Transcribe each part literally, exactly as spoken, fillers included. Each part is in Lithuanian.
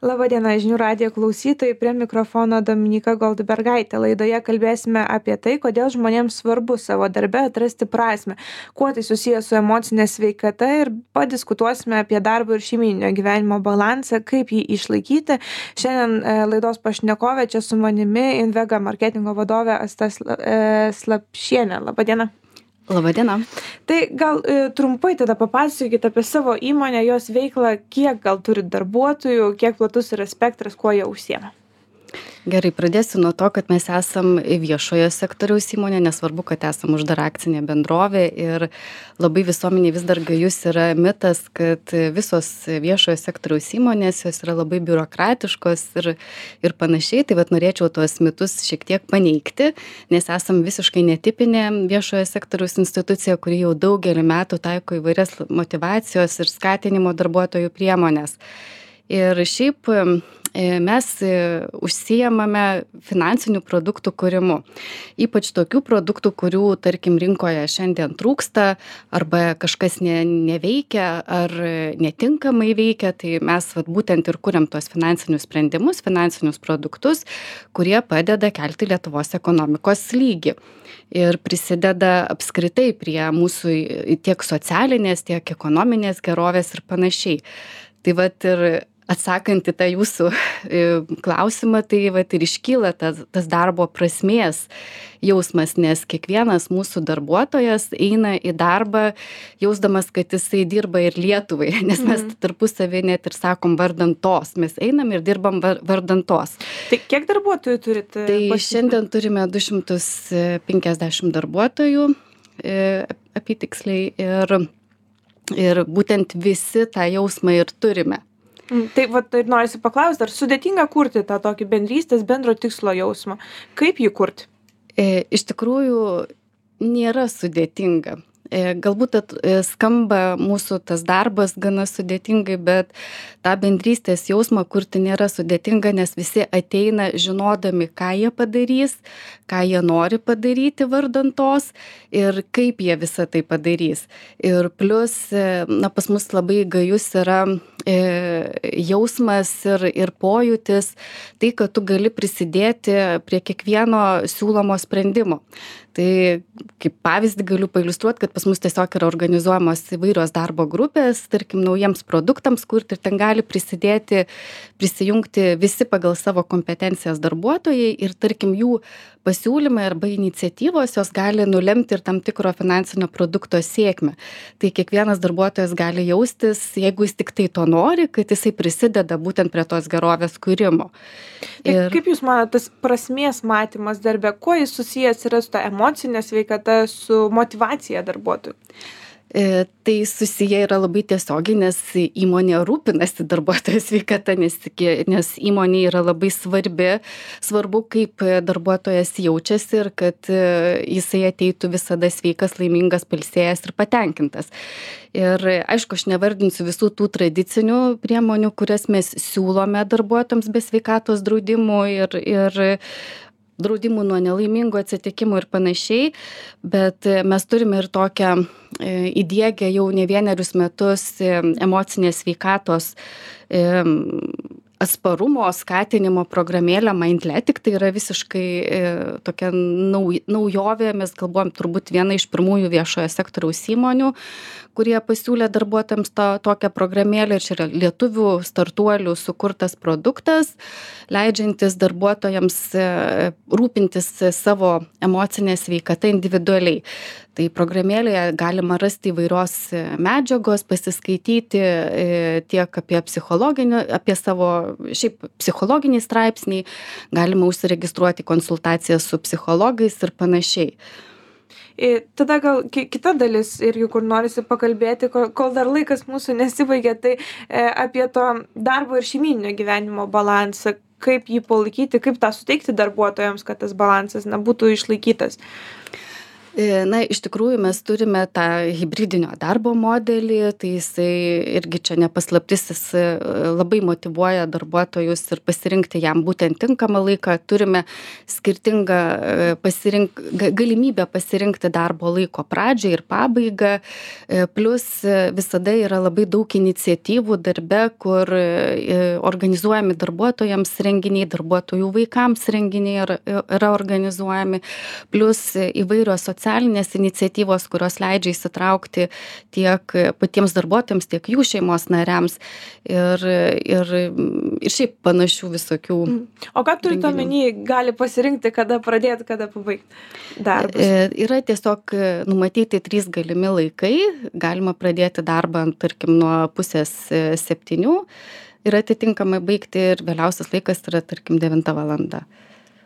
Labadiena, žinių radijo klausytojai, prie mikrofono Dominika Goldbergaitė. Laidoje kalbėsime apie tai, kodėl žmonėms svarbu savo darbe atrasti prasmę, kuo tai susijęs su emocinė sveikata ir padiskutuosime apie darbo ir šeimyninio gyvenimo balansą, kaip jį išlaikyti. Šiandien e, laidos pašnekovė čia su manimi Invega marketingo vadovė Asta Sla- e, Slapšienė. Labadiena. Labadiena. Tai gal e, trumpai tada papasakokite apie savo įmonę, jos veiklą, kiek gal turit darbuotojų, kiek platus yra spektras, kuo jie užsiema. Gerai, pradėsiu nuo to, kad mes esam viešojo sektoriaus įmonė, nesvarbu, kad esam uždara akcinė bendrovė ir labai visuomeniai vis dar gajus yra mitas, kad visos viešojo sektoriaus įmonės jos yra labai biurokratiškos ir, ir panašiai. Tai vat norėčiau tuos mitus šiek tiek paneigti, nes esam visiškai netipinė viešojo sektoriaus institucija, kuri jau daugelį metų taiko įvairias motyvacijos ir skatinimo darbuotojų priemonės. Ir šiaip mes užsiemame finansinių produktų kūrimu. Ypač tokių produktų, kurių, tarkim, rinkoje šiandien trūksta arba kažkas ne, neveikia ar netinkamai veikia, tai mes vat, būtent ir kuriam tuos finansinius sprendimus, finansinius produktus, kurie padeda kelti Lietuvos ekonomikos lygį. Ir prisideda apskritai prie mūsų tiek socialinės, tiek ekonominės gerovės ir panašiai. Tai vat ir atsakant į tą jūsų klausimą, tai vat ir iškyla tas, tas darbo prasmės jausmas, nes kiekvienas mūsų darbuotojas eina į darbą jausdamas, kad jisai dirba ir Lietuvai, nes mes mm. tarpusavį net ir sakom vardan tos, mes einam ir dirbam vardan tos. Tai kiek darbuotojų turite? Tai pasipilti? Šiandien turime du šimtus penkiasdešimt darbuotojų apytiksliai ir, ir būtent visi tą jausmą ir turime. Tai vat ir norisi paklausti, ar sudėtinga kurti tą tokį bendrystės, bendro tikslo jausmą? Kaip jį kurti? E, iš tikrųjų, nėra sudėtinga. E, galbūt at, e, skamba mūsų tas darbas gana sudėtingai, bet tą bendrystės jausmą kurti nėra sudėtinga, nes visi ateina žinodami, ką jie padarys, ką jie nori padaryti vardan tos ir kaip jie visą tai padarys. Ir plus, na, pas mus labai gajus yra e, jausmas ir, ir pojūtis, tai, kad tu gali prisidėti prie kiekvieno siūlomo sprendimo. Tai kaip pavyzdį galiu pailiustruoti, kad pas mus tiesiog yra organizuojamos įvairios darbo grupės, tarkim, naujiems produktams kurti ir ten gali prisidėti, prisijungti visi pagal savo kompetencijas darbuotojai ir tarkim jų pasiūlymai arba iniciatyvos jos gali nulemti ir tam tikro finansinio produkto sėkmę. Tai kiekvienas darbuotojas gali jaustis, jeigu jis tik tai to nori, kad jisai prisideda būtent prie tos gerovės kūrimo. Ir kaip Jūs manote, tas prasmės matymas darbe, kuo jis susijęs yra su ta emocinė sveikata, su motyvacija darbuotojų? E, tai susiję yra labai tiesiogiai, nes įmonė rūpinasi darbuotojo sveikata, nes, nes įmonė yra labai svarbi, svarbu, kaip darbuotojas jaučiasi ir kad jisai ateitų visada sveikas, laimingas, pailsėjęs ir patenkintas. Ir aišku, aš nevardinsiu visų tų tradicinių priemonių, kurias mes siūlome darbuotojams be sveikatos draudimų ir, ir draudimų nuo nelaimingų atsitikimų ir panašiai, bet mes turime ir tokią įdiegę jau ne vienerius metus emocinės sveikatos atsparumo skatinimo programėlę Mindletic. Tai yra visiškai e, tokia nau, naujovė, mes galvojam turbūt viena iš pirmųjų viešojo sektoriaus įmonių, kurie pasiūlė darbuotojams to, tokią programėlę ir čia yra lietuvių startuolių sukurtas produktas, leidžiantis darbuotojams e, rūpintis savo emocinę sveikatą individualiai. Tai programėlėje galima rasti įvairios medžiagos, pasiskaityti e, tiek apie psichologinį, apie savo šiaip psichologiniai straipsniai, galima užsiregistruoti konsultacijas su psichologais ir panašiai. Ir tada gal kita dalis irgi, kur norisi pakalbėti, kol dar laikas mūsų nesibaigė, tai e, apie to darbo ir šeimyninio gyvenimo balansą, kaip jį palaikyti, kaip tą suteikti darbuotojams, kad tas balansas na, būtų išlaikytas. Na, iš tikrųjų mes turime tą hibridinio darbo modelį, tai jisai irgi čia nepaslaptis, jis labai motyvuoja darbuotojus ir pasirinkti jam būtent tinkamą laiką. Turime skirtingą pasirink, galimybę pasirinkti darbo laiko pradžią ir pabaigą, plus visada yra labai daug iniciatyvų darbe, kur organizuojami darbuotojams renginiai, darbuotojų vaikams renginiai yra organizuojami, plus įvairios socialinės iniciatyvos, kurios leidžia įsitraukti tiek patiems darbuotojams, tiek jų šeimos nariams ir, ir, ir šiaip panašių visokių. O ką turite omeny, gali pasirinkti, kada pradėti, kada pabaigti darbus? Yra tiesiog numatyti trys galimi laikai, galima pradėti darbą, tarkim, nuo pusės septynių ir atitinkamai baigti ir vėliausias laikas yra, tarkim, devinta valanda.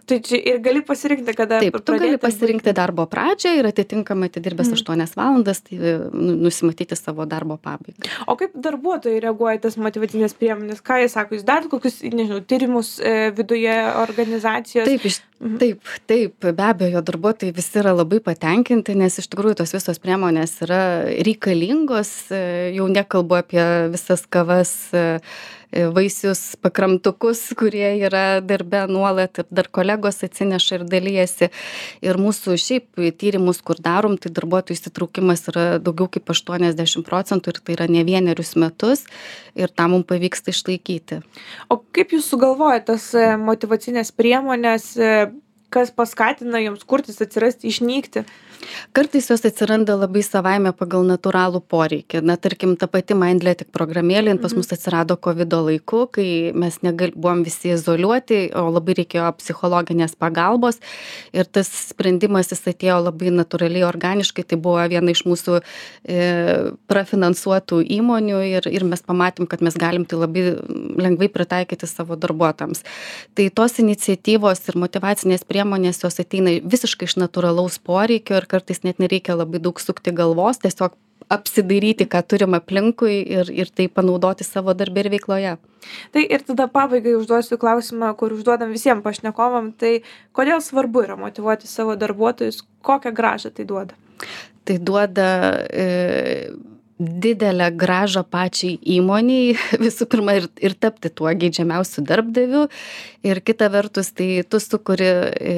Tai čia ir gali pasirinkti, kada Taip, tu gali pasirinkti darbo pradžią ir atitinkamai atidirbęs mm. aštuonias valandas, tai nusimatyti savo darbo pabaigą. O kaip darbuotojai reaguoja tas motyvacinės priemonės? Ką jie sako? Jūs darot kokius, nežinau, tyrimus e, viduje organizacijos? Taip, iš, mhm. taip, taip, be abejo, darbuotojai visi yra labai patenkinti, nes iš tikrųjų tos visos priemonės yra reikalingos, jau nekalbu apie visas kavas, vaisius, pakramtukus, kurie yra darbe nuolat ir dar kolegos atsineša ir dalyjasi. Ir mūsų šiaip tyrimus, kur darom, tai darbuotojų įsitraukimas yra daugiau kaip aštuoniasdešimt procentų ir tai yra ne vienerius metus ir tą mums pavyksta išlaikyti. O kaip jūs sugalvojate tas motyvacinės priemonės, kas paskatina jums kurtis, atsirasti, išnykti? Kartais jos atsiranda labai savaime pagal natūralų poreikį. Na, tarkim, ta pati Mindletic programėlė pas mus atsirado kovido laiku, kai mes negal, buvom visi izoliuoti, o labai reikėjo psichologinės pagalbos. Ir tas sprendimas jis atėjo labai natūraliai, organiškai. Tai buvo viena iš mūsų e, prafinansuotų įmonių ir, ir mes pamatėm, kad mes galim tai labai lengvai pritaikyti savo darbuotojams. Tai tos iniciatyvos ir motyvacinės priemonės jos ateina visiškai iš natūralaus poreikio ir kartais net nereikia labai daug sukti galvos, tiesiog apsidairyti, ką turim aplinkui ir, ir tai panaudoti savo darbę ir veikloje. Tai ir tada pabaigai užduosiu klausimą, kur užduodam visiems pašnekovam, tai kodėl svarbu yra motyvuoti savo darbuotojus, kokią grąžą tai duoda? Tai duoda e, didelę grąžą pačiai įmoniai, visų pirma, ir, ir tapti tuo geidžiamiausiu darbdaviu. Ir kita vertus, tai tu sukuri e,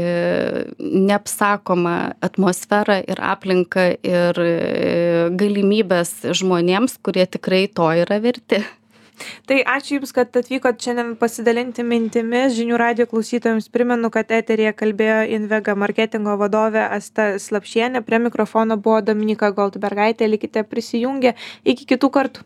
neapsakomą atmosferą ir aplinką ir e, galimybės žmonėms, kurie tikrai to yra verti. Tai ačiū Jums, kad atvykot šiandien pasidalinti mintimis. Žinių radijo klausytojams primenu, kad eteryje kalbėjo Invega marketingo vadovė Asta Slapšienė. Prie mikrofono buvo Dominyka Goldbergaitė. Likite prisijungę. Iki kitų kartų.